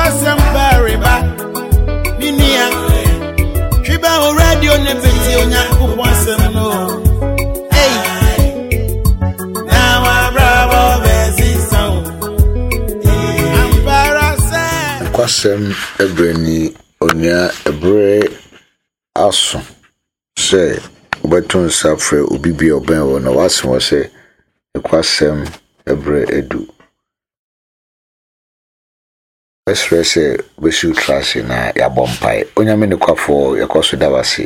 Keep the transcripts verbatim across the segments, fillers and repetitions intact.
Nokwasɛm pareba, me nua. Twi bɛ wo radio ne bɛtie Onyankopɔn asɛm no. Ei, na wabrabɔ bɛsesa wo. Ampa ara sɛ. Nokwasɛm berɛ ni, onua ɛberɛ aso sɛ wobɛto nsa frɛ obi bi a ɔbɛn wo na woase wɔ sɛ nokwasɛm berɛ adu. Mɛsrɛ sɛ wobɛsi wo tiri ase na yɛabɔ mpae. Onyame nokwafoɔ, yɛkɔ so da wo ase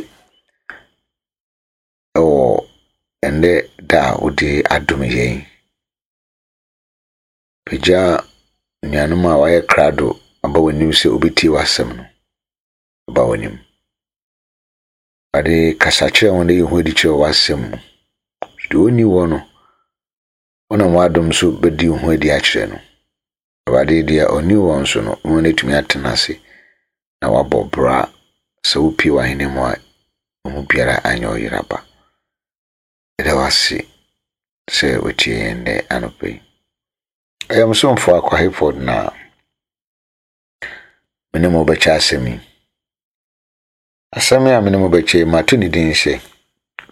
ɛwɔ ɛnnɛ da a wode adom yɛn. Pagya nuanom a wɔayɛ krado aba w'anim sɛ obetie w'asɛm no aba w'anim. Awurade, kasa kyerɛ wɔn na yi ho adi kyerɛ w'asɛm mu. Deɛ ɔnni wɔ no, wonam w'adom so bɛdi wo ho adi akyerɛ no. Awurade, deɛ ɔnni wɔ nso no, wɔn no atumi atena ase na wabɔ bra sɛ wopie w'ahene mu a, ɔmu biara anyɛ ɔyera ba. Ɛda wo ase sɛ wotie yɛn nnɛ anɔpa yi. Ɛyɛ mo somfo Akwa Hayford na me ne mo bɛkyɛ asɛm yi. Asɛm yi a me ne mo bɛkyɛ yi, mato ne din sɛ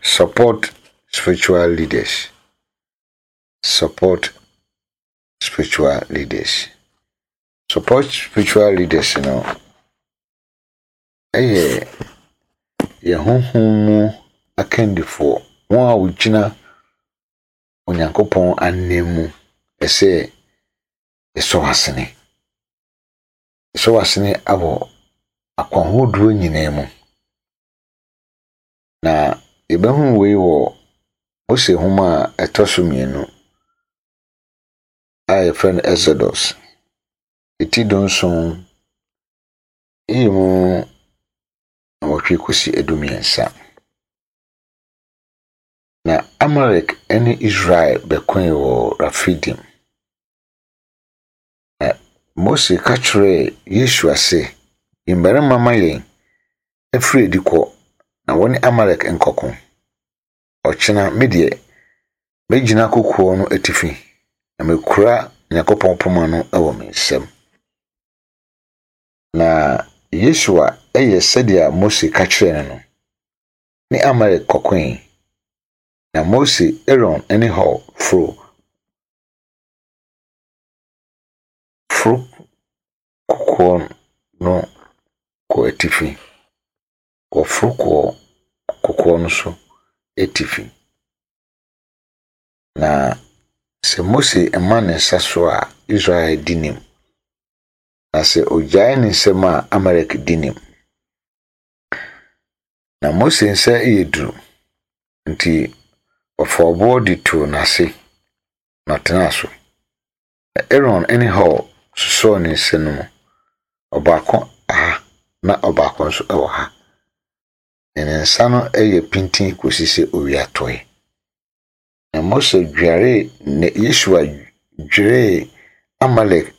Support Spiritual Leaders. Support Spiritual Leaders. Support Spiritual Leaders no ɛyɛ yɛn honhom mu akandifoɔ, wɔn a wɔgyina Onyankopɔn anan mu ɛsɛ yɛsɔ w'asene. Yɛsɔ w'asene awɔ akwanhodoɔ nyinaa mu. Na yɛbɛhu wei wɔ Mose nhoma a ɛtɔ so mmienu a yɛfrɛ no Exodus. Eti dunson, eyi mu nwɔtwe kɔsi adumiɛnsa. Na Amalek ne Israel bɛkoe wɔ Rafidim. Na Mose ka kyerɛɛ Yosua sɛ, "Yi mmarima ma yɛn afiri adi kɔ na wɔne Amalek nkɔko. Ɔkyena me deɛ, mɛgyina kokoɔ no atifi na mekura Nyankopɔn poma no wɔ me nsam." Na Yosua yɛ sɛdeɛ Mose ka kyerɛɛ no no, ne Amalek kɔkoe. Na Mose, Aaron ne Hur foro foro kokoɔ no kɔ atifi. Wɔforo kɔɔ kokoɔ no so atifi. Na sɛ Mose ma ne nsa so a, Israel di nim. Na sɛ ogyae ne nsam a, Amalek di nim. Na Mose nsa yɛ duru, nti ɔfaa ɔboɔ de too n'ase na ɔtenaa so. Na Aaron ne Hur sosɔɔ ne nsa no mu, ɔbaako ha na ɔbaako nso wɔ ha. Na ne nsa no yɛ pintinn kɔsi sɛ owia tɔe. Na Mose dwaree na Yosua dweree Amalek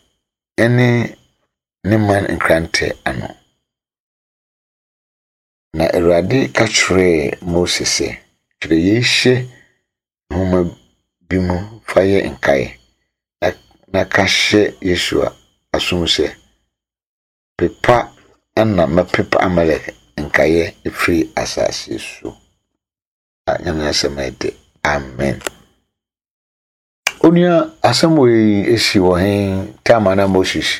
ne ne man nkrantɛ ano. Na Awurade ka kyerɛɛ Mose sɛ, "Twerɛ yei hyɛ nhoma bi mu fa yɛ nkae, na, na ka hyɛ Yosua asom sɛ, pepa na mɛpepa Amalek nkaeɛ afiri asase so." A Nyame asɛm ɛde. Amen. Onua, asɛm wei esi wɔ he time a na Moses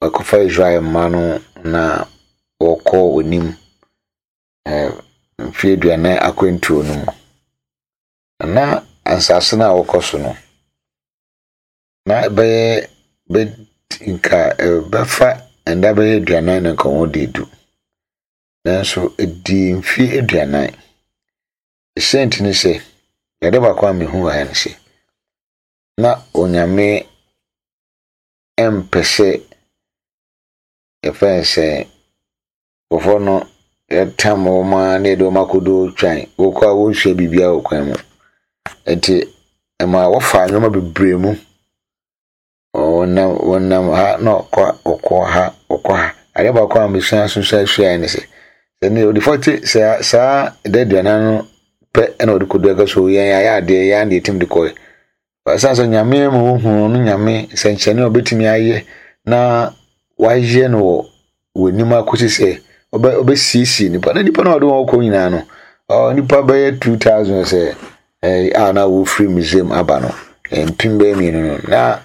wɔkɔfa Israel mma no na wɔkɔ onim eh, mfeɛ aduanan akwantuo no mu. Na asase no a wɔkɔ so no, na ɛbɛyɛ bɛ nka ɛbɛfa nda bɛyɛ aduanan na nka wɔn de du. Nanso ɛdii mfeɛ aduanan. Ɛsɛ ne sɛ, yɛde baako a mehu wɔ ha ne sɛ, na Onyame mpɛ sɛ yɛfrɛ no sɛ nkurɔfoɔ no yɛtam wɔn a na yɛde wɔn akɔdo twan. Wɔkɔ a wɔnsua biribiara wɔ kwan mu. Nti ɛma wɔfa nneɛma bebree mu. Wɔnam wɔnam ha na ɔkɔ ɔkɔ ha ɔkɔ ha. Adeɛ baako a mesua so sua suaeɛ ne sɛ, sɛ ne ɔde forty saa saa da aduanan no pɛ ɛna ɔde kɔdu aka so yɛn ayɛ adeɛ yɛn adeɛ tim de kɔɛ. Ɛsiane sɛ Nyame ma wohu no Nyame nsɛnkyerɛnne a ɔbɛtumi ayɛ na wayɛ no wɔ w'anim akɔsi sɛ ɔbɛsiesie nipa na nipa na ɔde wɔn kɔ nyinaa no, ɔ nipa bɛyɛ two thousand sɛ ɛɛ a na wɔfiri Misraim aba no, mpem bɛyɛ mmienu no na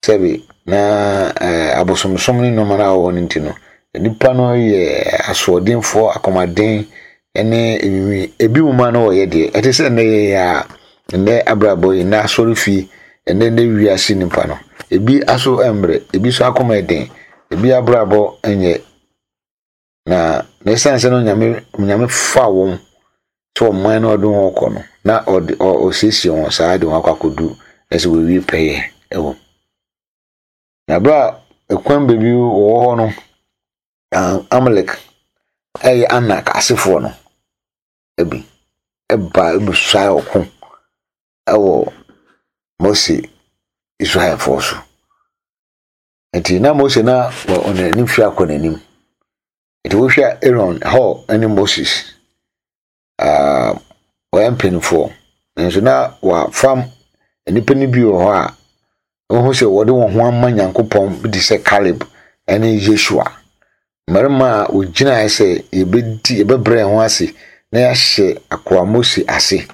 sɛbi na ɛɛ abosomsom ne nneɛma no a wɔwɔ no nti no, nipa no yɛ asoɔdenfoɔ, akɔmaden ne nwinwi. Ebi mu ma no wɔyɛ deɛ ɛte sɛ nnɛ yɛ a nnɛ abrabɔ yi, nnɛ asɔre fie, nnɛ nnɛ wiase nipa no, ebi aso mmerɛ, ebi nso akoma ɛden, ebi abrabɔ nyɛ. Na na ɛsiane sɛ no Nyame Nyame fa wɔn sɛ ɔman no ɔde wɔn kɔ no, na ɔde ɔsiesie wɔn saa de wɔn akɔ akɔdu na sɛ wɔawie pɛyɛ ɛwɔ mu. Na bere a ɛkwan baabi wɔwɔ hɔ no, Amalek ɛyɛ Anak asefoɔ no ebi ɛba ɛbɛsuae ɔko ɛwɔ Mose Israelfoɔ so. Nti na Mose na ɔne ne mfe akɔ n'anim. Nti wohwɛ Aaron, Hur ne Moses, uh, wɔyɛ mpanimfoɔ. Nanso na wɔafam nnipa no bi wɔ hɔ a wɔhu sɛ wɔde wɔn ho ama Nyankopɔn bi te sɛ Caleb ne Yeshua. Mmarima a wɔgyinae sɛ yɛbɛdi yɛbɛbrɛ yɛn ho ase na yɛahyɛ akoa Mose ase.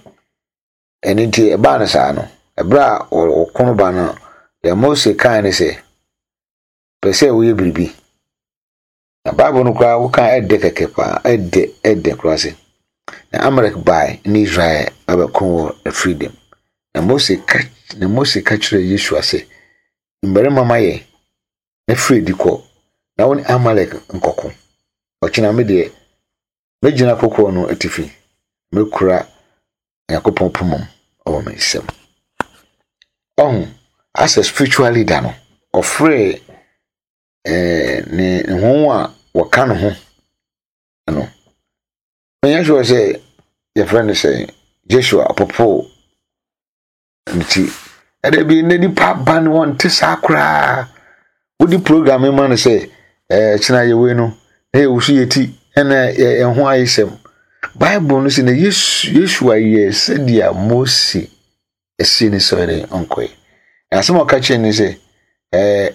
Ɛno nti ɛbaa no saa no, ɛberɛ a ɔko no ba no, deɛ Mose kae ne sɛ, pɛ sɛ woyɛ biribi. Na Bible no koraa woka ɛdɛ kɛkɛ paa, ɛdɛ ɛdɛ koraa sɛ. Na Amalek bae ne Israel abɛko wɔ Rephidim. Na Mose ka na Mose ka kyerɛɛ Yosua sɛ, mmarima ma yɛn na firi adi kɔ na wo ne Amalek nkɔko. Ɔkyena me deɛ, mɛgyina kokoɔ no atifi, mɛkura Nyankopɔn poma mu wɔ me nsam. Ɔho, as a spiritual leader no, ɔfrɛɛ ɛɛ ne ho a wɔka ne ho no. Menyɛ sure sɛ yɛfrɛ no sɛ Joshua ɔpopo ne ti. Ɛdɛ bi ne nipa aba no wɔnte saa koraa. Wodi program ma no sɛ ɛɛ kyena yɛwei no, na yɛwɔ so yɛ ti ɛna yɛn ho ayɛ sɛm. Bible no sɛ na Yeshua yɛ sɛdeɛ Mose ɛsie ne sɛ ɔde ɔnkɔɛ. Na asɛm a ɔka kyerɛ ne sɛ ɛɛ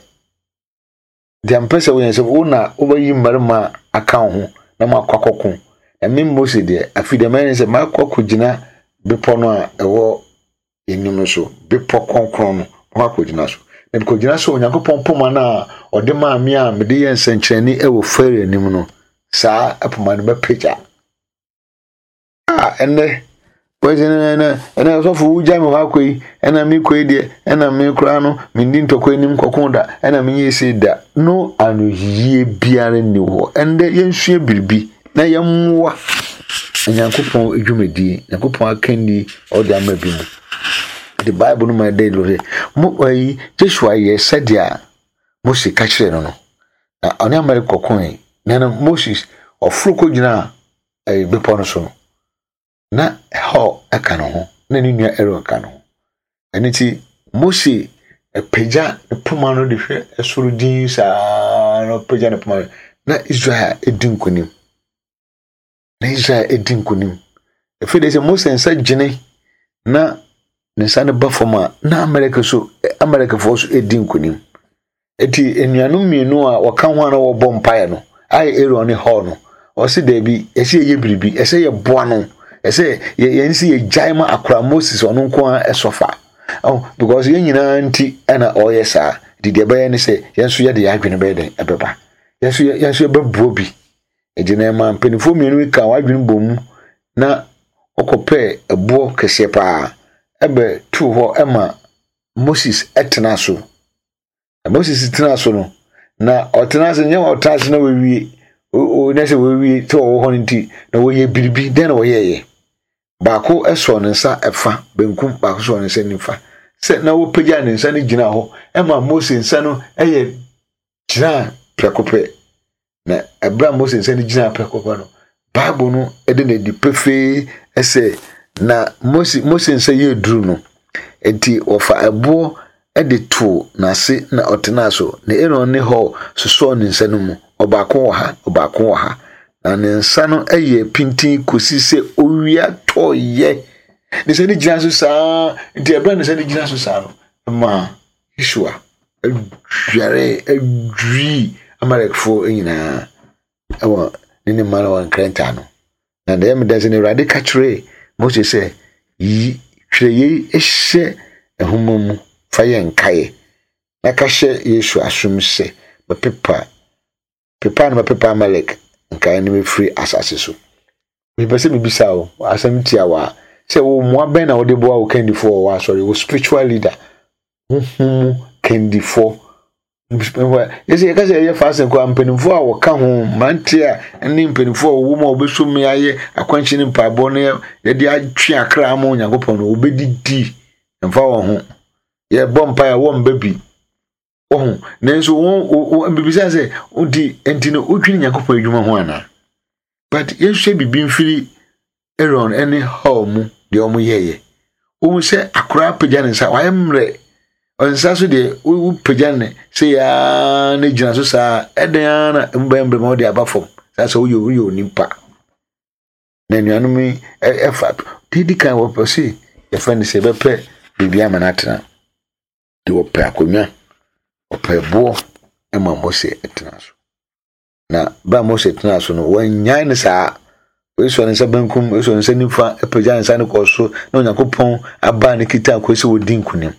deɛ mpɛ sɛ woyɛ sɛ wo na wobɛyi mmarima aka wo ho na moakɔ akɔko. Na me Mose deɛ, afei deɛ mɛyɛ ne sɛ makɔ akɔgyina bepɔ no a ɛwɔ anim no so, bepɔ kronkron no, makɔ akɔgyina so. Na mekɔgyina so Onyankopɔn poma no a ɔde maa me a mede yɛ nsɛnkyerɛnne wɔ Farao anim no, saa poma no mɛpagya. A ɛnnɛ, wɔsɛ ɛnɛ ɛnɛ ɔsɔfo wogya me hɔ akɔ yi, ɛna mekɔ yi deɛ, ɛna me koraa no mendi ntɔkwa anim kɔko da, ɛna menyɛ ese da. No anoyie biara nni hɔ. Ɛnnɛ yɛnsua biribi na yɛmmoa Onyankopɔn dwumadie, Nyankopɔn akanni ɔde ama bi mu. The Bible no ma ɛda adi sɛ mo ayi Joshua yɛ sɛdeɛ Mose ka kyerɛɛ no no. Na ɔne Amalek kɔkoe. Na no Moses ɔforo kɔgyinaa ɛyɛ bepɔ no so no, na Hur ka ne ho, na ne nua Aaron ka ne ho. Ɛno nti Mose apagya ne poma no de hwɛ soro din saa na ɔpagya ne poma no, na Israel edi nkonim. Na Israel edi nkonim. Afei de sɛ Mose nsa gyene na ne nsa no ba fam a, na Amalek so Amalekfoɔ so edi nkonim. Eti anuanom mmienu a wɔka ho a na wɔbɔ mpaeɛ no, ayɛ Aaron ne Hur no, ɔsi daabi, ɛsɛ yɛyɛ biribi, ɛsɛ yɛboa no, ɛsɛ yɛn si yɛgyae ma akora Moses ɔno nko ara ɛsɔfa. Oh, because yɛn nyinaa nti ɛna ɔyɛ saa. Nti deɛ ɛbɛyɛ ne sɛ yɛn nso yɛde yɛn adwene bɛyɛ dɛn ɛbɛba. Yɛn nso yɛn nso yɛbɛboa bi. Nti na ɛma mpanimfoɔ mmienu yi ka wɔn adwene bɔ mu na wɔkɔpɛɛ ɛboɔ kɛseɛ paa ɛbɛtoo hɔ ɛma Moses ɛtena so. Na Moses tena so no, na ɔtena ase nyɛ ɔtena ase na wɔawie o na sɛ wɔawie sɛ ɔwɔ hɔ no nti na wɔyɛ biribi. Dɛn na wɔyɛɛyɛ? Baako sɔɔ ne nsa ɛfa benkum, baako sɔɔ ne nsa nifa. Sɛ na wɔpagya ne nsa no gyina hɔ ɛma Mose nsa no ɛyɛ gyina prɛko pɛ. Na ɛberɛ a Mose nsa no gyina prɛko pɛ no, Bible no ɛde n'adi pefee ɛsɛ na Mose Mose nsa yɛ duru no, nti wɔfa ɛboɔ ɛde too n'ase na ɔtenaa so. Na Aaron ne Hur sosɔɔ ne nsa no mu. Ɔbaako wɔ ha, ɔbaako wɔ ha. Na ne nsa no yɛ pintin kɔsi sɛ owia tɔɔyɛ. Ne nsa no gyina so saa, nti ɛberɛ a ne nsa no gyina so saa no, ma Yeshua Adware adwiri Amalekfoɔ nyinaa ɛwɔ ne ne mma no wɔ nkrɛnta no. Na deɛ ɛmeda sɛ no Awurade ka kyerɛɛ Mose sɛ, yi twerɛ yei hyɛ nhoma mu fa yɛ nkaeɛ na ka hyɛ Yosua asom sɛ bɛpepa pepa na bɛpepa Amalek nkaeɛ no bɛfiri asase so. Mepɛ sɛ mebisa wo asɛm tiawa sɛ wo mmoa bɛn na wode boa wo kandifoɔ wɔ w'asɔre, wo spiritual leader, honhom mu kandifoɔ. Yɛsɛ yɛka sɛ yɛyɛ fasting kɔ a, mpanimfoɔ a wɔka ho, mmeranteɛ a ne mpanimfoɔ a wɔwɔ mu a wɔbɛso mu ayɛ akwankyerɛ ne mpaebɔ no yɛde atwe akra ama Onyankopɔn no, wɔbɛdidi mfa wɔn ho. Yɛbɔ mpae a wɔmba bi. Wɔho. Nanso wɔn bibisa sɛ nti nti no wodwene Nyankopɔn adwuma ho anaa? But yɛnhwɛ biribi mfiri Aaron ne Hur mu deɛ wɔn yɛɛyɛ. Wɔn sɛ akora apagya ne nsa, wayɛ mmerɛ. Nsa so deɛ wopagya ne sɛ yaa ne gyina so saa, ɛdɛn ara na emu bɛyɛ mmerɛ ma wɔde aba fam. Saa sɛ woyɛ woyɛ onipa. Na anuanom yi ɛfa deɛ di kan wɔpɛ sɛ yɛfrɛ no sɛ yɛbɛpɛ biribi ama no atena. De wɔpɛ akonnwa, wɔpɛ boɔ ma Mose tena so. Na bere a Mose tena so no, wɔannyae no saa. Wɔasɔ ne nsa benkum, wɔasɔ ne nsa nifa, apagya ne nsa no kɔ soro, na Onyankopɔn aba ne kita akɔ sɛ wɔdi nkonim.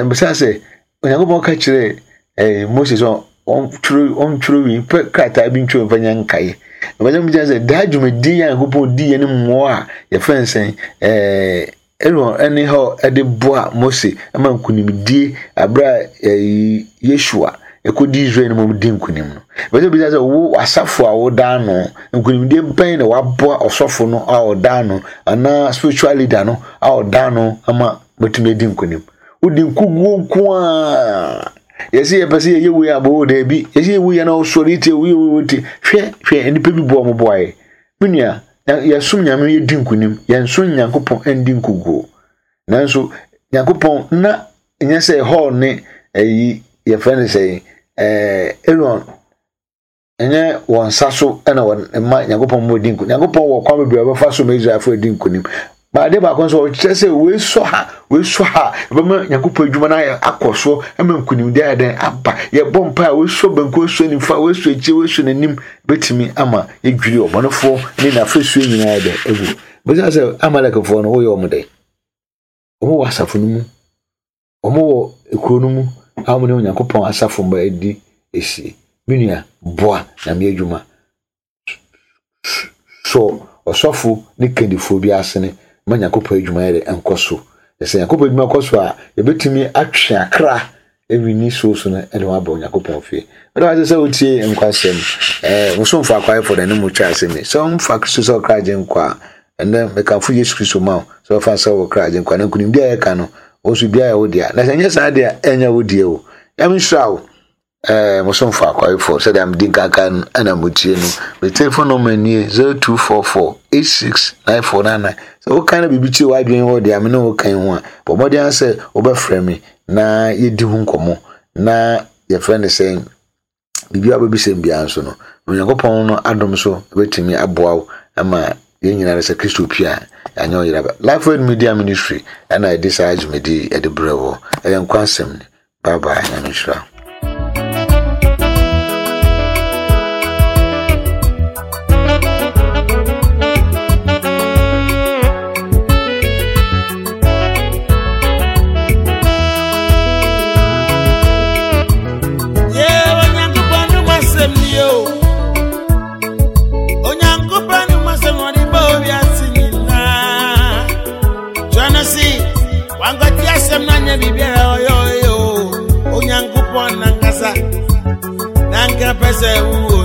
Bisa sɛ, Onyankopɔn ka kyerɛɛ eh, Mose sɛ ɔntwerɛ ɔntwerɛ wi, pɛ krataa bi ntwerɛ mfa nyɛ nkaeɛ. Ɛbɛsɛ mbisa sɛ, daa dwumadi a Onyankopɔn di yɛ ne mmoa a yɛfrɛ no sɛn, eh, Aaron ne Hur de boa Mose ma nkonimdie abere a eh, Yeshua ɛkɔdi Israel no mu di nkonim no. Ɛbɛsɛ bisa sɛ wo asafo a woda ano, nkonimdie bɛn na waboa ɔsɔfo no a ɔda ano anaa spiritual leader no a ɔda ano ama watumi adi nkonim. Wodi nkoguo nko a yɛsɛ yɛpɛ sɛ yɛyɛ wei abɔ daabi, yɛsɛ yɛwu yɛ na ɔsɔre tie wei wei tie. Hwɛ hwɛ nnipa bi boa mo boaeɛ. Me nua, yɛsom Nyame yɛdi nkonim, yɛnsom Nyankopɔn ndi nkoguo. Nanso Nyankopɔn na nyɛ sɛ Hur ne ɛyi yɛfrɛ no sɛ ɛɛ Aaron ɛnyɛ wɔn nsa so ɛna wɔn mma Nyankopɔn mu adi nkonim. Nyankopɔn wɔ kwan bebree a wɔbɛfa so ma Israelfoɔ adi nkonim. Baade baako nso ɔkyerɛ sɛ wei sɔ ha, wei sɔ ha, ɛbɛma Nyankopɔn adwuma no ayɛ akɔ so ama nkonimdi ayɛ dɛn aba. Yɛbɔ mpa a wei sɔ benkum, wei sɔ nifa, wei sɔ akyire, wei sɔ n'anim, bɛtumi ama yɛdwiri ɔbɔnefoɔ ne n'afasuo nyinaa yɛ dɛn agu. Bɛsɛ sɛ Amalekfoɔ no woyɛ wɔn dɛn? Wɔn wɔ asafo no mu, wɔn wɔ ekuro no mu a wɔn ne Onyankopɔn asafo mma adi esie. Me nua, boa Nyame adwuma. Sɔ ɔsɔfo ne kandifoɔ bi asene ma Nyankopɔn adwuma yɛ dɛ nkɔ so. Sɛ Nyankopɔn adwuma kɔ so a, yɛbɛtumi atwe akra ɛwi so so no ɛde wɔn aba Onyankopɔn fie. Mɛda wase sɛ wotie nkwasɛm. Ɛɛ mosomfo akwaefoɔ na ne mu twa asɛm yi. Sɛ wɔmfa Kristo sɛ ɔkra agye nkwa a, ɛnɛ mekamfo Yesu Kristo ma wo sɛ wɔfa sɛ wɔkra agye nkwa. Na nkonimdi a yɛka no, wo nso biara yɛ wo dea. Na sɛ ɛnyɛ saa deɛ a, ɛnyɛ wo deɛ o. Nyame nhyira wo. Eh, mosomfo akwaefoɔ sɛdeɛ medi nkanka no ɛna motie no. Me telephone number nie zero two four four eight six nine four nine nine. Sɛ woka na biribi kyerɛ w'adwene hɔ deɛ a me ne wo kan ho a, bɔ mmɔden sɛ wobɛfrɛ me na yɛdi ho nkɔmmɔ na yɛfrɛ no sɛ biribi a wobɛbisa m biara nso no, Onyankopɔn no adom so bɛtumi aboa wo ama yɛn nyinaa sɛ Kristo pie a yɛanyɛ ɔyera ba. Life Word Media Ministry ɛna ɛde saa dwumadi ɛde brɛ wɔ. Ɛyɛ nkwa asɛm ni. Bye bye, Nyame nhyira. Yeah, Onyankopɔn no masɛm ni o. Onyankopɔn no masɛm ɔde bɔ wiase nyinaa. Twerɛ no se, wankɔte asɛm no anyɛ biribiara ɔyɛ ɔyɛ o. Onyankopɔn nankasa, nanka pɛ sɛ wowɔ